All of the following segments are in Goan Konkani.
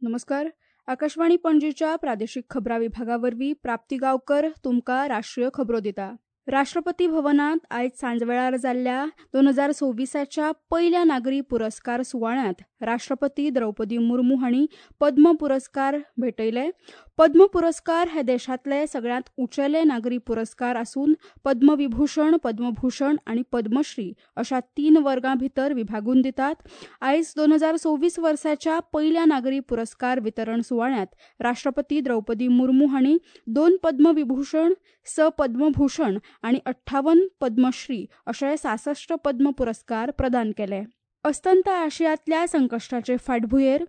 नमस्कार, आकाशवाणी पणजीच्या प्रादेशीक खबरां विभागा वरवीं प्राप्ती गांवकर तुमकां राष्ट्रीय खबरो दिता. राष्ट्रपती भवनांत आयज सांजवेळार जाल्ल्या 2026च्या पयल्या नागरी पुरस्कार सुवाळ्यांत राष्ट्रपती द्रौपदी मुर्मू हांणी पद्म पुरस्कार भेटयले. पद्म पुरस्कार हे देशांतले सगळ्यांत उंचेले नागरी पुरस्कार आसून पद्मविभूषण, पद्मभूषण आनी पद्मश्री अशा 3 वर्गां भितर विभागून दितात. आयज 2026 वर्साच्या पयल्या नागरी पुरस्कार वितरण सुवाळ्यांत राष्ट्रपती द्रौपदी मुर्मू हांणी 2 पद्मविभूषण, 6 पद्मभूषण आनी 58 पद्मश्री अशे 66 पद्म पुरस्कार प्रदान केले. अस्तंत आशियांतल्या संकश्टाचे फाटभुंयेर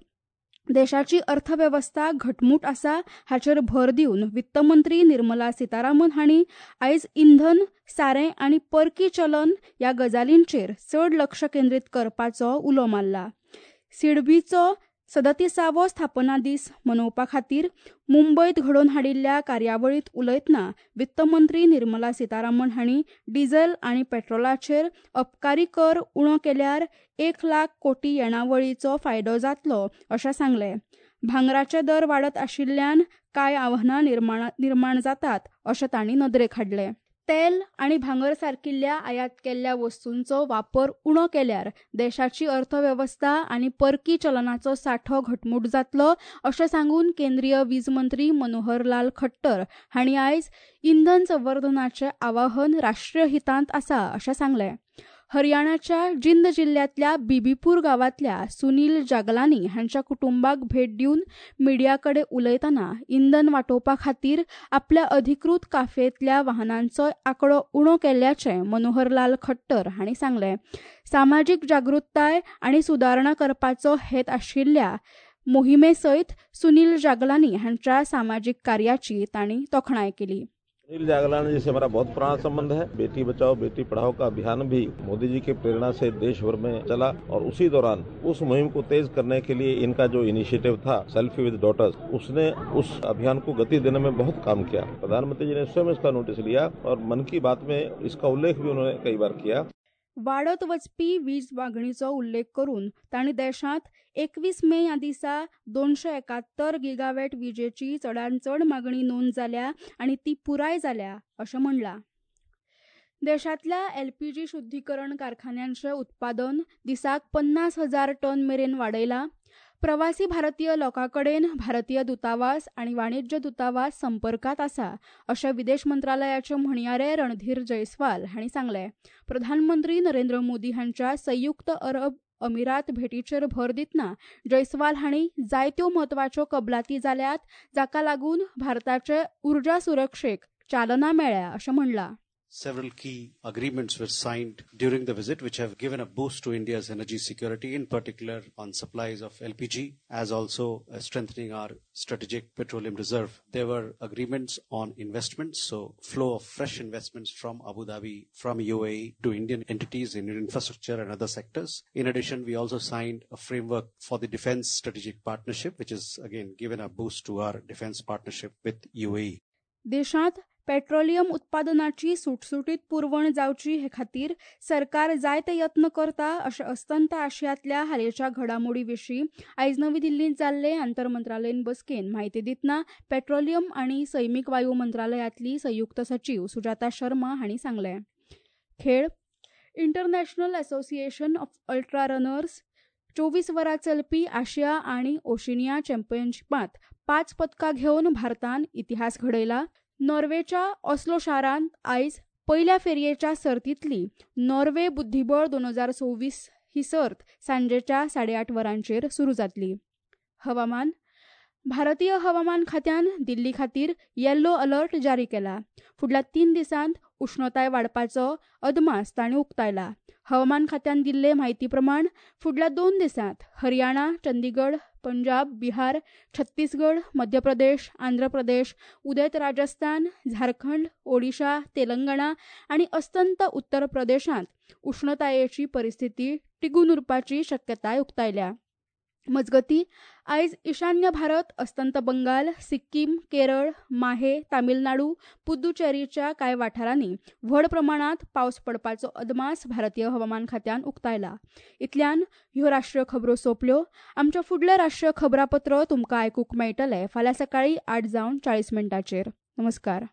देशाची अर्थवेवस्था घटमूट आसा हाचेर भर दिवन वित्तमंत्री निर्मला सीतारामन हांणी आयज इंधन, सारें आनी परकी चलन ह्या गजालींचेर चड लक्ष केंद्रीत करपाचो उलो मारला. सिडबीचो 37वो स्थापना दीस मनोवपा खातीर मुंबयत घडोवन हाडिल्ल्या कार्यावळींत उलयतना वित्तमंत्री निर्मला सीतारामन हांणी डिझल आनी पेट्रोलाचेर अबकारी कर उणो केल्यार 1 लाख कोटी येणावळीचो फायदो जातलो अशें सांगलें. भांगराचे दर वाडत आशिल्ल्यान कांय आव्हानां निर्माण जातात अशें तांणी नदरेक हाडलें. तेल आनी भांगर सारकिल्ल्या आयात केल्ल्या वस्तूंचो वापर उणो केल्यार देशाची अर्थवेवस्था आनी परकी चलनाचो सांठो घटमूट जातलो अशें सांगून केंद्रीय वीज मंत्री मनोहर लाल खट्टर हांणी आयज इंधन संवर्धनाचें आवाहन राष्ट्रीय हितांत आसा अशें सांगलें. हरियाणाच्या जिंद जिल्ल्यांतल्या बीबीपूर गांवांतल्या सुनील जागलानी हांच्या कुटुंबाक भेट दिवन मिडिया कडेन उलयतना इंधन वाटोवपा खातीर आपल्या अधिकृत काफयेंतल्या वाहनांचो आंकडो उणो केल्ल्याचें मनोहर लाल खट्टर हांणी सांगलें. सामाजीक जागृताय आनी सुदारणा करपाचो हेत आशिल्ल्या मोहिमे सयत सुनील जागलानी हांच्या सामाजीक कार्याची तांणी तोखणाय केली. सुनील जागलानी जी से हमारा बहुत पुराना संबंध है. बेटी बचाओ बेटी पढ़ाओ का अभियान भी मोदी जी की प्रेरणा से देश भर में चला और उसी दौरान उस मुहिम को तेज करने के लिए इनका जो इनिशिएटिव था सेल्फी विद डॉटर्स, उसने उस अभियान को गति देने में बहुत काम किया. प्रधानमंत्री जी ने स्वयं इसका नोटिस लिया और मन की बात में इसका उल्लेख भी उन्होंने कई बार किया. वाडत वचपी वीज मागणीचो उल्लेख करून तांणी देशांत 21 मे ह्या दिसा 271 गिगावॅट विजेची चडांत चड मागणी नोंद जाल्या आनी ती पुराय जाल्या अशें म्हणलां. देशांतल्या एलपीजी शुद्धीकरण कारखान्यांचें उत्पादन दिसाक 50,000 टन मेरेन वाडयलां. प्रवासी भारतीय लोकां कडेन भारतीय दूतावास आनी वाणिज्य दूतावास संपर्कांत आसा अशें विदेश मंत्रालयाचे म्हणयारे रणधीर जयस्वाल हांणी सांगलें. प्रधानमंत्री नरेंद्र मोदी हांच्या संयुक्त अरब अमिरात भेटीचेर भर दितना जयस्वाल हांणी जायत्यो म्हत्वाच्यो कबलाती जाल्यात जाका लागून भारताचे उर्जा सुरक्षेक चालना मेळ्ळ्या अशें म्हणलां. Several key agreements were signed during the visit, which have given a boost to India's energy security, in particular on supplies of LPG, as also strengthening our strategic petroleum reserve. There were agreements on investments, so flow of fresh investments from Abu Dhabi, from UAE to Indian entities in infrastructure and other sectors. In addition, we also signed a framework for the defense strategic partnership, which has again given a boost to our defense partnership with UAE. देशांत पेट्रोलियम उत्पादनाची सुटसुटीत पुरवण जावची हे खातीर सरकार जायते यत्न करता अशें अस्तंत आशियांतल्या हालींच्या घडामोडी विशीं आयज नवी दिल्लींत जाल्ले आंतरमंत्रालयीन बसकेन म्हायती दितना पेट्रोलियम आनी सैमीक वायू मंत्रालयांतली संयुक्त सचीव सुजाता शर्मा हांणी सांगलें. खेळ. International association of ultra runners 24 वरां चलपी आशिया आनी ओशिनिया चॅम्पियनशिपांत 5 पदकां घेवन भारतान इतिहास घडयला. नॉर्वेच्या ऑस्लो शारांत आयज पयल्या फेरयेच्या सर्तींतली नॉर्वे बुद्धिबळ 2026 ही सर्त सांजेच्या 8:30 वरांचेर सुरू जातली. हवामान. भारतीय हवामान खात्यान दिल्ली खातीर येल्लो अलर्ट जारी केला. फुडल्या 3 दिसांत उश्णताय वाडपाचो अदमास तांणी उक्तायला. हवामान खात्यान दिल्ले म्हायती प्रमाण फुडल्या 2 दिसांत हरियाणा, चंदीगड, पंजाब, बिहार, छत्तीसगड, मध्य प्रदेश, आंध्र प्रदेश, उदेंत राजस्थान, झारखंड, ओडिशा, तेलंगणा आनी अस्तंत उत्तर प्रदेशांत उश्णतायेची परिस्थिती टिगून उरपाची शक्यताय उक्तायल्या. मजगती आयज ईशान्य भारत, अस्तंत बंगाल, सिक्कीम, केरळ, माहे, तामिळनाडू, पुद्दुचेरीच्या कांय वाठारांनी व्हड प्रमाणांत पावस पडपाचो अदमास भारतीय हवामान खात्यान उक्तायला. इतल्यान ह्यो राष्ट्रीय खबरो सोंपल्यो. आमच्या फुडलें राष्ट्रीय खबरापत्र तुमकां आयकूंक मेळटलें फाल्यां सकाळीं 8:40. नमस्कार.